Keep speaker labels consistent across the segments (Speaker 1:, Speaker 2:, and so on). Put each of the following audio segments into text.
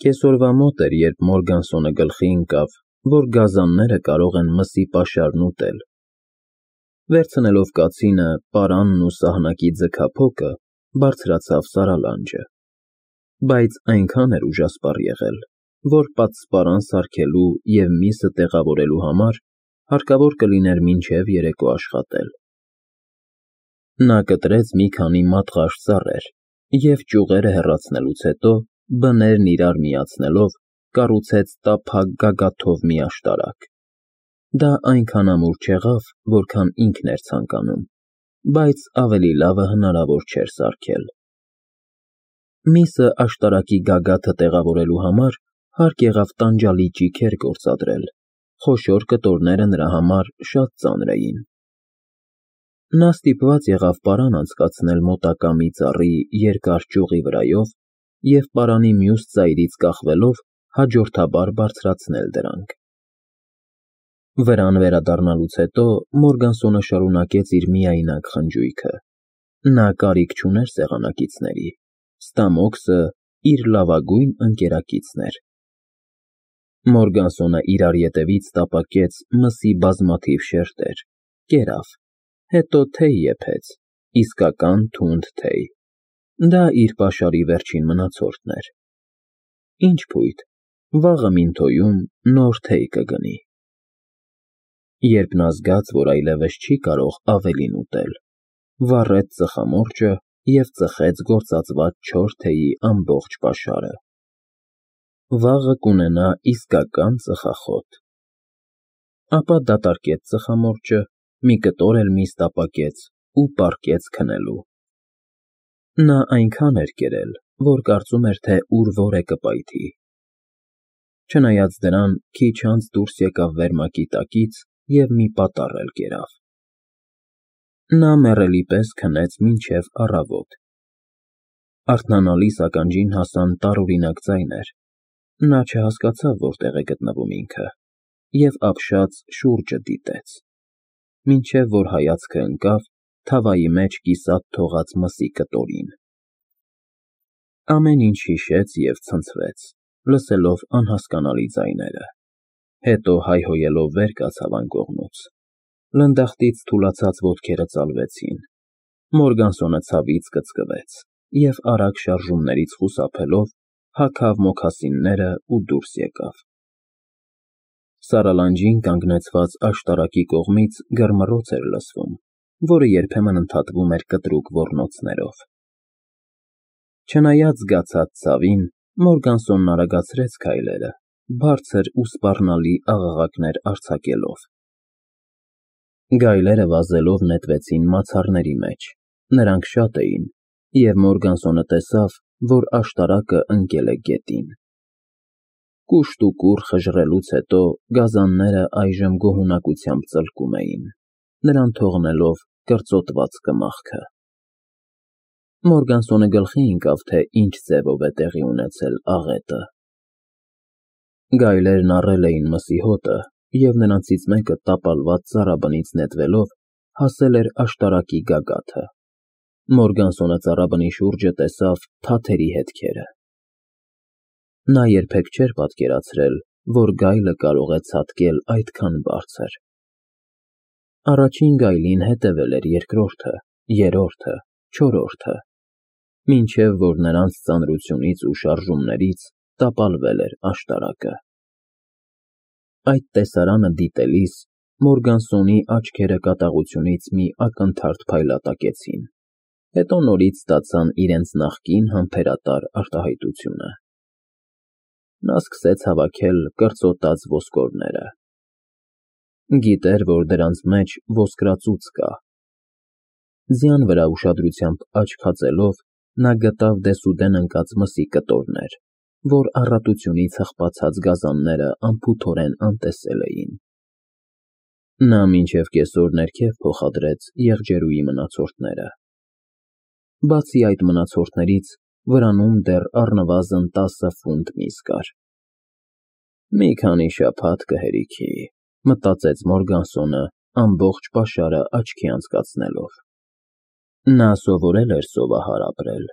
Speaker 1: Կեսօրվա մոտ էր, երբ Մորգանսոնը գլխի ընկավ, որ գազանները կարող են մսի պաշարն ուտել։ Վերցնելով կացինը, պարանն ու սահնակի ձգափոկը, բարձրացավ սարալանջը, բայց այնքան էր ուժասպառ եղել, որ պատսպարան սարքելու և միսը տեղավորելու համար հարկավոր կլիներ մինչև երեկո աշխատել։ Նա կտրեց մի քանի մատղաշ ծառեր և ճյուղերը հեռացնելուց հետո, բներն իրար միացնելով, կառուցեց տափակ գագաթով մի աշտարակ։ Դա այնքան ամուր չեղավ, որքան ինքն էր ցանկանում, բայց ավելի լավը հնարավոր չէր սարքել։ Միսը աշտարակի գագաթը տեղավորելու համար հարկ եղավ տանջալի ճիգեր գործադրել, խոշոր կտորները նրա համար շատ ծանր էին։ Նա ստիպված եղավ պարան անցկացնել մոտակա մի ծառի երկար ճյուղի վրայով և պարանի մյուս ծայրից կախվելով հաջորդաբար բարձրացնել դրանք։ Վրան վերադառնալուց հետո Մորգանսոնը շարունակեց իր միայնակ խնջույքը։ Նա կարիք չուներ սեղանակիցների, Ստամոքսը իր լավագույն ընկերակիցն էր։ Մորգանսոնը իրար ետևից տապակեց մսի բազմաթիվ շերտեր, կերավ, հետո թեյ եփեց, իսկական թունդ թեյ։ Դա իր պաշարի վերջին մնացորդն էր։ Ինչ փույթ, վաղը Մինթոյում նոր թեյ կգնի։ Երբ նա զգաց, որ այլևս չի կարող ավելին ուտել, վառեց ծխամորճը և ծխեց գործածված չոր թեյի ամբողջ պաշարը։ Վաղը կունենա իսկական ծխախոտ։ Ապա դատարկեց ծխամորճը, մի կտոր էլ միս տապակեց ու պառկեց քնելու։ Նա այնքան էր կերել, որ կարծում էր, թե ուր որ է կպայթի։ Չնայած դրան, քիչ անց դուրս եկավ վերմակի տակից և մի պատառ էլ կերավ։ Նա մեռելի պես քնեց մինչև առավոտ։ Արթնանալիս ականջին հասան տարօրինակ ձայներ։ Նա չհասկացավ որտեղ է գտնվում ինքը և ապշած շուրջը դիտեց, մինչև որ հայացքը ընկավ թավայի մեջ կիսատ թողած մսի կտորին։ Ամեն ինչ հիշեց և ցնցվեց, լսելով անհասկանալի ձայները, հետո հայհոյելով վեր կացավ անկողնուց։ Լնդախտից թուլացած ոտքերը ծալվեցին, Մորգանսոնը ցավից կծկվեց և արագ շարժումներից խուսափելով հագավ մոքասինները ու դուրս եկավ։ Սարալանջին կանգնեցված աշտարակի կողմից գռմռոց էր լսվում, որը երբեմն ընդհատվում էր կտրուկ ոռնոցներով։ Չնայած զգացած ցավին, Մորգանսոնն արագացրեց քայլերը, բարձր ու սպառնալի աղաղակներ արձակելով։ Գայլերը վազելով նետվեցին մացառների մեջ, նրանք շատ էին, և Մորգանսոնը տեսավ, որ աշտարակը ընկել է գետին։ Կուշտ ու կուռ խժռելուց հետո գազանները այժմ գոհունակությամբ ծլկում էին, նրան թողնելով կրծոտված կմախքը։ Մորգանսոնը գլխի ընկավ, թե ինչ ձևով է տեղի ունեցել աղետը։ Գայլերն առել էին մսի հոտը, և նրանցից մեկը տապալված ծառաբնից նետվելով հասել էր աշտարակի գագաթը։ Մորգանսոնը ծառաբնի շուրջը տեսավ թաթերի հետքերը։ Նա երբեք չէր պատկերացրել, որ գայլը կարող է ցատկել այդքան բարձր։ Առաջին գայլին հետևել էր երկրորդը, երրորդը, չորրորդը, մինչև որ նրանց ծանրությունից ու շարժումներից տապալվել էր աշտարակը։ Այդ տեսարանը դիտելիս Մորգանսոնի աչքերը կատաղությունից մի ակնթարթ փայլատակեցին, հետո նորից ստացան իրենց նախկին համբերատար արտահայտությունը։ Նա սկսեց հավաքել կրծոտած ոսկորները։ Գիտեր, որ դրանց մեջ ոսկրածուծ կա։ Ձյան վրա ուշադրությամբ աչք հածելով, նա գտավ դեսուդեն ընկած մսի կտորներ, որ առատությունից հղպացած գազանները անփութորեն անտեսել էին։ Նա մինչև կեսօր ներքև փոխադրեց եղջերուի մնացորդները։ Բացի այդ մնացորդներից, վրանում դեռ առնվազն 10 ֆունտ միս կար։ Մի քանի շաբաթ կհերիքի, մտածեց Մորգանսոնը, ամբողջ պաշարը աչքի անցկացնելով։ Նա սովորել էր սովահար ապրել։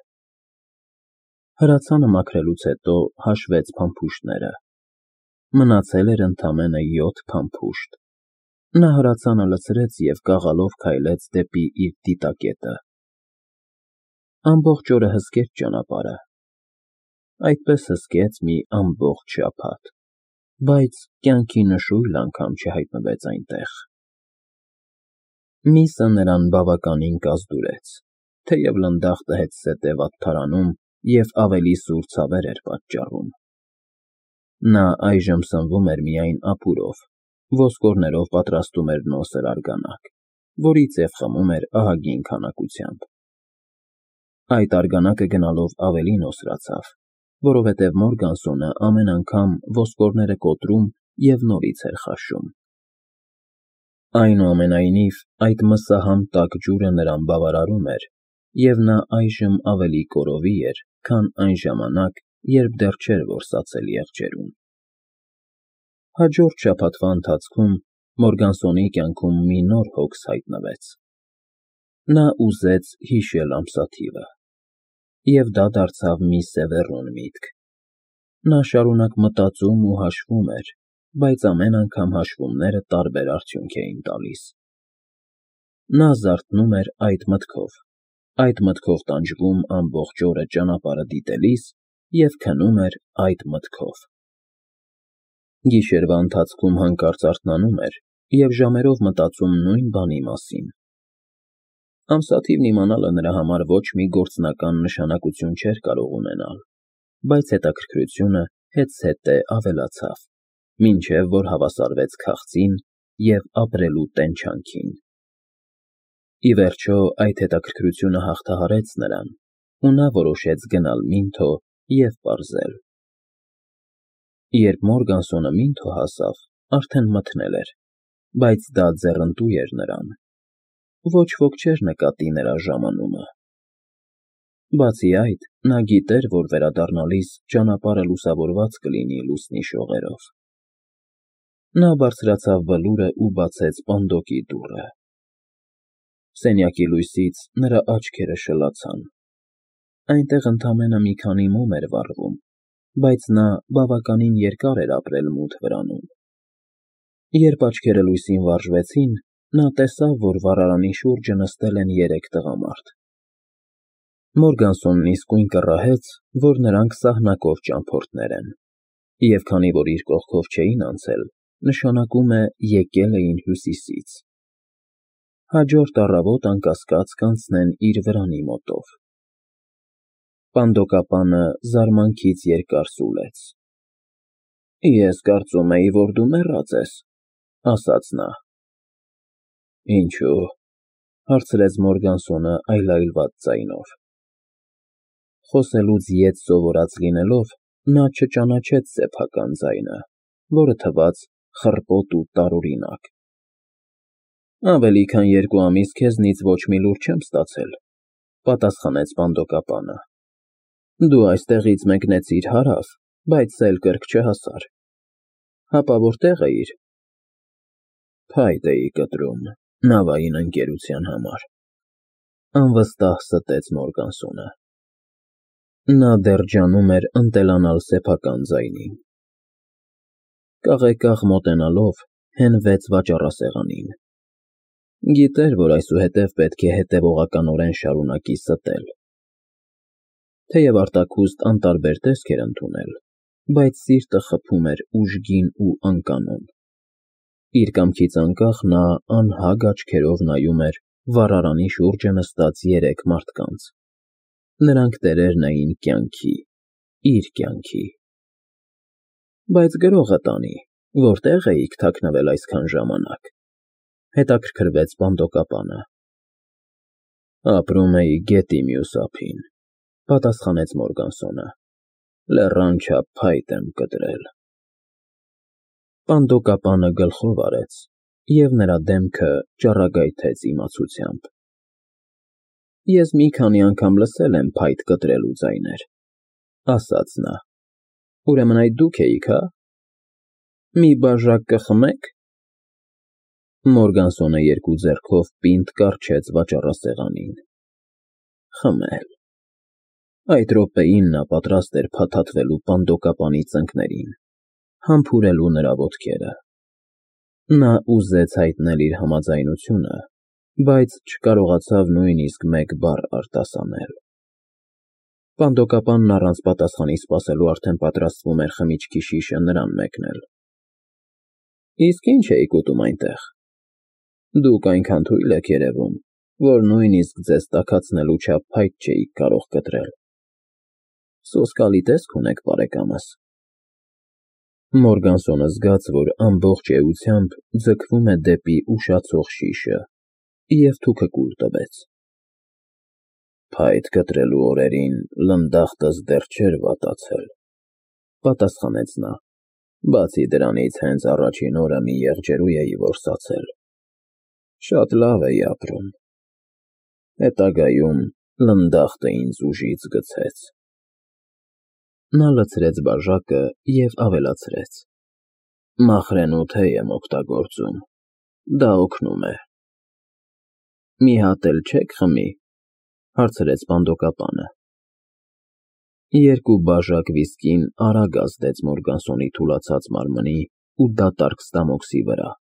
Speaker 1: Հրացանը մաքրելուց հետո հաշվեց փամփուշտները։ Մնացել էր ընդամենը 7 փամփուշտ։ Նա հրացանը լցրեց և կաղալով քայլեց դեպի իր դիտակետը։ Ամբողջ օրը հսկեց ճանապարհը։ Այդպես հսկեց մի ամբողջ շաբաթ, բայց կյանքի նշույլ անգամ չհայտնվեց այնտեղ։ Միսը նրան բավականին կազդուրեց, թեև լնդախտը հետզհետե վատթարանում և ավելի սուր ցավեր էր պատճառում։ Նա այժմ սնվում էր միայն ապուրով, ոսկորներով պատրաստում էր նոսր արգանակ, որից և խմում էր ահագին քանակությամբ։ Այդ արգանակը գնալով ավելի նոսրացավ, որովհետև Մորգանսոնը ամեն անգամ ոսկորները կոտրում և նորից էր խաշում։ Այնուամենայնիվ, այդ մսահամ տաք ջուրը նրան բավարարում էր, և նա այժմ ավելի կորովի էր, քան այն ժամանակ, երբ դեռ չէր որսացել եղջերուն։ Հաջորդ շաբաթվա ընթացքում Մորգանսոնի կյանքում մի նոր հոգս հայտնվեց։ Նա ուզեց հիշել ամսաթիվը, և դա դարձավ մի սևեռուն միտք։ Նա շարունակ մտածում ու հաշվում էր, բայց ամեն անգամ հաշվումները տարբեր արդյունք էին տալիս։ Նա զարթնում էր այդ մտքով տանջվում ամբողջ օրը ճանապարհը դիտելիս և քնում էր այդ մտքով։ Գիշերվա ընթացքում հանկարծ արթնանում էր և ժամերով մտածում նույն բանի մասին։ Ամսաթիվն իմանալը նրա համար ոչ մի գործնական նշանակություն չէր կարող ունենալ, բայց հետաքրքրությունը հետզհետե ավելացավ, մինչև որ հավասարվեց քաղցին և ապրելու տենչանքին։ Ի վերջո այդ հետաքրքրությունը հաղթահարեց նրան, ու նա որոշեց գնալ Մինթո և պարզել։ Երբ Մորգանսոնը Մինթո հասավ, արդեն մթնել էր, բայց դա ձեռնտու էր նրան։ Ոչ ոք չէր նկատի նրա ժամանումը։ Բացի այդ, նա գիտեր, որ վերադառնալիս ճանապարհը լուսավորված կլինի լուսնի շողերով։ Նա բարձրացավ բլուրը ու բացեց պանդոկի դուռը։ Սենյակի լույսից նրա աչքերը շլացան։ Այնտեղ ընդամենը մի քանի մոմ էր վառվում, բայց նա բավականին երկար էր ապրել մութ վրանում։ Երբ աչքերը լույսին վարժվեցին, նա տեսավ, որ վառարանի շուրջը նստել են 3 տղամարդ։ Մորգանսոնն իսկույն կռահեց, որ նրանք սահնակով ճամփորդներ են, և քանի որ իր կողքով չէին անցել, նշանակում է եկել էին հյուսիսից։ Հաջորդ առավոտ անկասկած կանցնեն իր վրանի մոտով։ Պանդոկապանը զարմանքից երկար սուլեց։ Ես կարծում էի, որ դու մեռած ես, ասաց նա։ Ինչո՞ւ, հարցրեց Մորգանսոնը այլայլված ձայնով։ Խոսելուց ետ սովորած լինելով, նա չճանաչեց սեփական ձայնը, որը թվաց խռպոտ ու տարօրինակ։ Ավելի քան 2 ամիս քեզնից ոչ մի լուր չեմ ստացել, պատասխանեց պանդոկապանը։ Դու այստեղից մեկնեցիր հարավ, բայց սել կրք չհասար։ Հապա որտե՞ղ էիր։ Փայտ էի կտրում նավային ընկերության համար, անվստահ ստեց Մորգանսոնը։ Նա դեռ ջանում էր ընտելանալ սեփական ձայնին։ Կաղեկաղ մոտենալով հենվեց վաճառասեղանին։ Գիտեր, որ այսուհետև պետք է հետևողականորեն շարունակի ստել։ Թեև արտաքուստ անտարբեր տեսք էր ընդունել, բայց սիրտը խփում էր ուժգին ու անկանոն։ Իր կամքից անկախ նա անհագ աչքերով նայում էր վառարանի շուրջը նստած 3 մարդկանց։ Նրանք տերերն էին կյանքի, իր կյանքի։ Բայց գրողը տանի, որտե՞ղ էիք թաքնվել այսքան ժամանակ, հետաքրքրվեց պանդոկապանը։ Ապրում էի գետի մյուս ափին, պատասխանեց Մորգանսոնը։ Լեռան չափ փայտ եմ կտրել։ Պանդոկապանը գլխով արեց, և նրա դեմքը ճառագայթեց իմացությամբ։ Ես մի քանի անգամ լսել եմ փայտ կտրելու ձայներ, ասաց նա։ Ուրեմն այդ դուք էիք, հա։ Մի բաժակ կխմե՞ք։ Մորգանսոնը 2 ձեռքով պինդ կառչեց վաճառասեղանին։ Խմել։ Այդ րոպեին նա պատրաստ էր փաթաթվելու պանդոկապանի ծնկներին, համբուրելու նրա ոտքերը։ Նա ուզեց հայտնել իր համաձայնությունը, բայց չկարողացավ նույնիսկ մեկ բառ արտասանել։ Պանդոկապանն առանց պատասխանի սպասելու արդեն պատրաստվում էր խմիչքի շիշը նրան մեկնել։ Իսկ ինչ էիք ուտում այնտեղ։ Դուք այնքան թույլ եք երևում, որ նույնիսկ ձեզ տաքացնելու չափ փայտ չէիք կարող կտրել։ Սոսկալի տեսք ունեք, բարեկամս։ Մորգանսոնը զգաց, որ ամբողջ էությամբ ձգվում է դեպի ուշացող շիշը, և թուքը կուլ տվեց։ Փայտ կտրելու օրերին լնդախտս դեռ չէր վատացել, պատասխանեց նա, բացի դրանից հենց առաջին օրը մի եղջերու էի որսացել։ Շատ լավ էի ապրում։ Հետագայում լնդախտը ինձ ուժից գցեց։ Նա լցրեց բաժակը և ավելացրեց. Մախրենու թեյ եմ օգտագործում, դա օգնում է։ Մի հատ էլ չեք խմի, հարցրեց պանդոկապանը։ Երկու բաժակ վիսկին արագ ազդեց Մորգանսոնի թուլացած մարմնի ու դատարկ ստամոքսի վրա։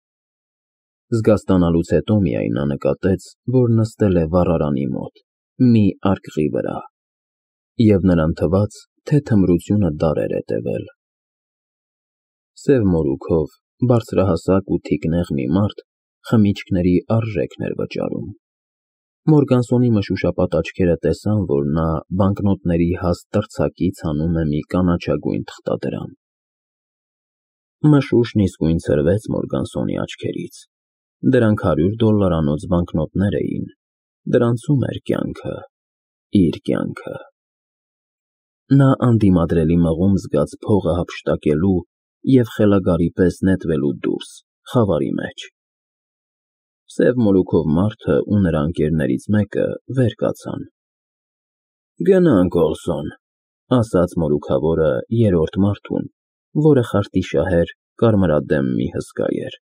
Speaker 1: Զգաստանալուց հետո միայն նա նկատեց, որ նստել է վառարանի մոտ, մի արկղի վրա, և նրան թվաց, թե թմրությունը դար էր հետևել։ Սև մորուքով, բարձրահասակ ու թիկնեղ մի մարդ խմիչքների արժեքն էր վճարում։ Մորգանսոնի մշուշապատ աչքերը տեսան, որ նա բանկնոտների հաստ տրցակից հանում է մի կանաչագույն թղթադրամ։ Մշուշն իսկույն ցրվեց Մորգանսոնի աչքերից։ Դրանք $100 բանկնոտներ էին, դրանցում էր կյանքը, իր կյանքը։ Նա անդիմադրելի մղում զգաց փողը հափշտակելու և խելագարի պես նետվելու դուրս, խավարի մեջ։ Սև մորուքով մարդը ու նրա ընկերներից մեկը վեր կացան։ Գնանք, Օլսոն, ասաց մորուքավորը երրորդ մարդուն, որը խարտիշահեր, կարմրադեմ մի հսկա էր։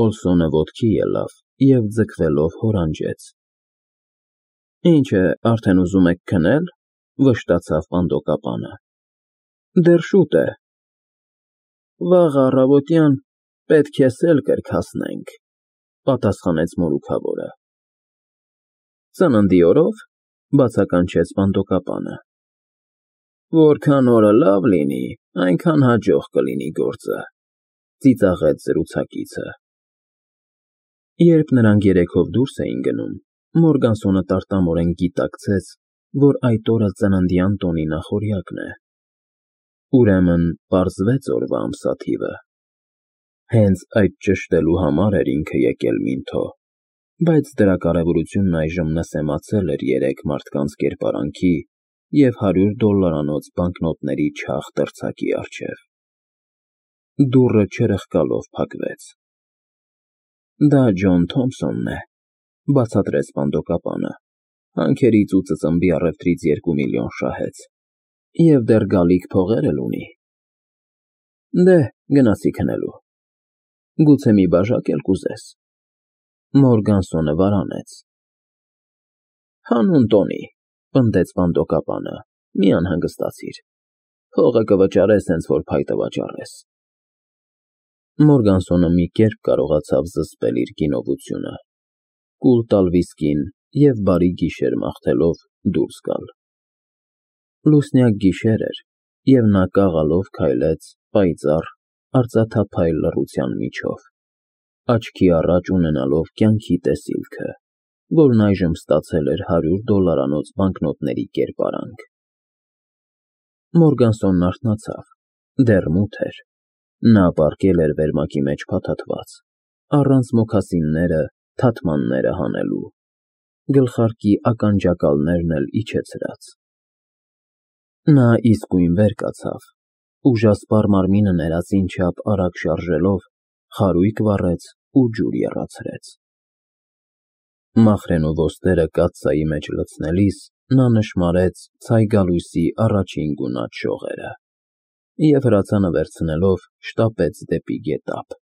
Speaker 1: Օլսոնը ոտքի ելավ և ձգվելով հորանջեց։ Ինչ է, արդեն ուզում եք քնել, վշտացավ պանդոկապանը։ Դեռ շուտ է։ Վաղ առավոտյան պետք է սել կրկացնենք, պատասխանեց մորուքավորը։ Ծննդի օրո՞վ, բացականչեց պանդոկապանը։ Որքան օրը լավ լինի, այնքան հաջող կլինի գործը, ծիծաղեց զրուցակիցը։ Երբ նրանք երեքով դուրս էին գնում, Մորգանսոնը տարտամորեն գիտակցեց, որ այդ օրը ծննդյան տոնի նախօրյակն է։ Ուրեմն պարզվեց օրվա ամսաթիվը։ Հենց այդ ճշտելու համար էր ինքը եկել Մինթո, բայց դրա կարևորությունն այժմ նսեմացել էր երեք մարդկանց կերպարանքի և $100 բանկնոտների չաղ տրցակի առջև։ Դուռը չրխկալով փակվեց։ Դա Ջոն Թոմփսոնն է, բացատրեց պանդոկապանը, հանքերից ու ծծմբի առևտրից 2 միլիոն շահեց, և դեռ գալիք փողեր էլ ունի։ Դե, գնացի քնելու։ Գուցե մի բաժակ էլ կուզես։ Մորգանսոնը վարանեց։ Հանուն տոնի, պնդեց պանդոկապանը, մի անհանգստացիր։ Փողը կվճարես, հենց որ փայտը վաճառես։ Մորգանսոնը մի կերպ կարողացավ զսպել իր գինովությունը, կուլ տալ վիսկին և բարի գիշեր մաղթելով դուրս գալ։ Լուսնյակ գիշեր էր, և նա կաղալով քայլեց պայծառ, արծաթափայլ լռության միջով, աչքի առաջ ունենալով կյանքի տեսիլքը, որն այժմ ստացել էր $100 բանկնոտների կերպարանք։ Մորգանսոնն արթնացավ, դեռ մութ էր։ Նա պառկել էր վերմակի մեջ փաթաթված, առանց մոքասինները, թաթմանները հանելու, գլխարկի ականջակալներն էլ իջեցրած։ Նա իսկույն վեր կացավ, ուժասպառ մարմինը ներածին չափ արագ շարժելով, խարույկ վառեց ու ջուր եռացրեց։ Մախրենու ոստերը կաթսայի մեջ լցնելիս նա նշմարեց ցայգալույսի առաջին գունատ շողերը և հրացանը վերցնելով շտապեց դեպի գետափ։